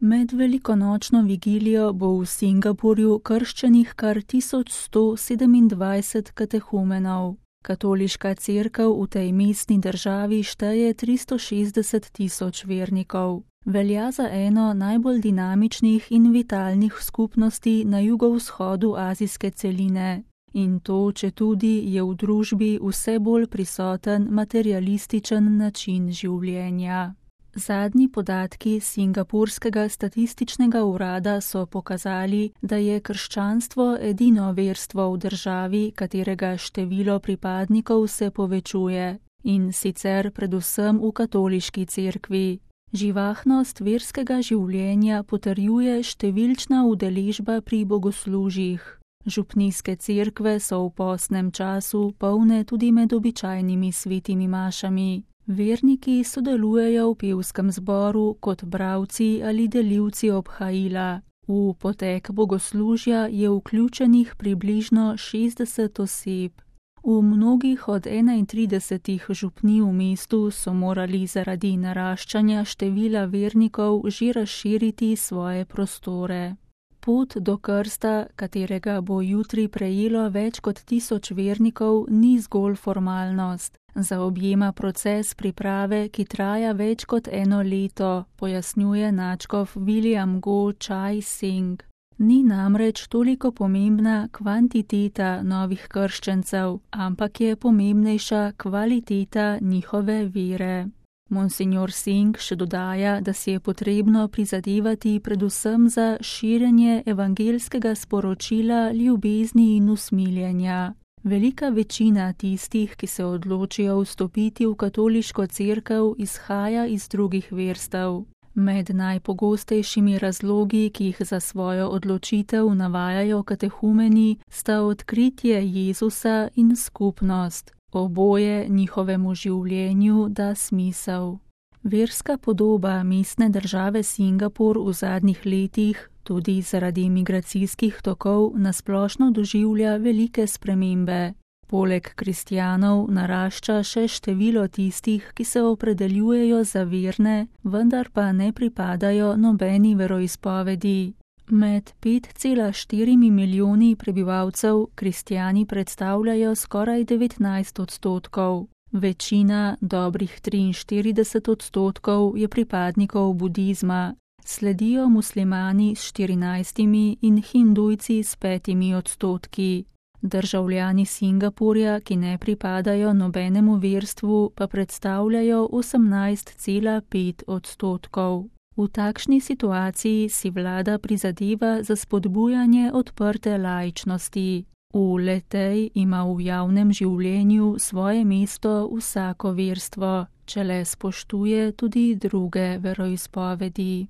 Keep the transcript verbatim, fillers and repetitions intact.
Med velikonočno vigilijo bo v Singapurju krščenih kar tisoč sto sedemindvajset katehumenov. Katoliška cerkev v tej mestni državi šteje tristo šestdeset tisoč vernikov. Velja za eno najbolj dinamičnih in vitalnih skupnosti na jugovzhodu azijske celine. In to, četudi je v družbi vse bolj prisoten materialističen način življenja. Zadnji podatki Singapurskega statističnega urada so pokazali, da je krščanstvo edino verstvo v državi, katerega število pripadnikov se povečuje, in sicer predvsem v katoliški cerkvi. Živahnost verskega življenja potrjuje številčna udeležba pri bogoslužjih. Župnijske cerkve so v postnem času polne tudi med običajnimi svetimi mašami. Verniki sodelujejo v pevskem zboru kot bralci ali delilci obhajila. V potek bogoslužja je vključenih približno šestdeset oseb. V mnogih od enaintridesetih župnij v mestu so morali zaradi naraščanja števila vernikov že razširiti svoje prostore. Pot do krsta, katerega bo jutri prejelo več kot tisoč vernikov, ni zgolj formalnost. Zaobjema proces priprave, ki traja več kot eno leto, pojasnjuje nadškof William Go Chai Sing. Ni namreč toliko pomembna kvantiteta novih krščencev, ampak je pomembnejša kvaliteta njihove vere. Monsignor Singh še dodaja, da si je potrebno prizadevati predvsem za širjenje evangelskega sporočila ljubezni in usmiljenja. Velika večina tistih, ki se odločijo vstopiti v katoliško cerkev, izhaja iz drugih verstev. Med najpogostejšimi razlogi, ki jih za svojo odločitev navajajo katehumeni, sta odkritje Jezusa in skupnost. Oboje njihovemu življenju da smisel. Verska podoba mestne države Singapur v zadnjih letih, tudi zaradi migracijskih tokov, nasplošno doživlja velike spremembe. Poleg kristjanov narašča še število tistih, ki se opredeljujejo za verne, vendar pa ne pripadajo nobeni veroizpovedi. Med pet cela štiri milijoni prebivalcev kristjani predstavljajo skoraj devetnajst odstotkov. Večina, dobrih triinštirideset odstotkov, je pripadnikov budizma. Sledijo muslimani s štirinajstimi in hindujci s petimi odstotki. Državljani Singapurja, ki ne pripadajo nobenemu verstvu, pa predstavljajo osemnajst cela pet odstotkov. V takšni situaciji si vlada prizadeva za spodbujanje odprte laičnosti. V le-tej ima v javnem življenju svoje mesto vsako verstvo, če le spoštuje tudi druge veroizpovedi.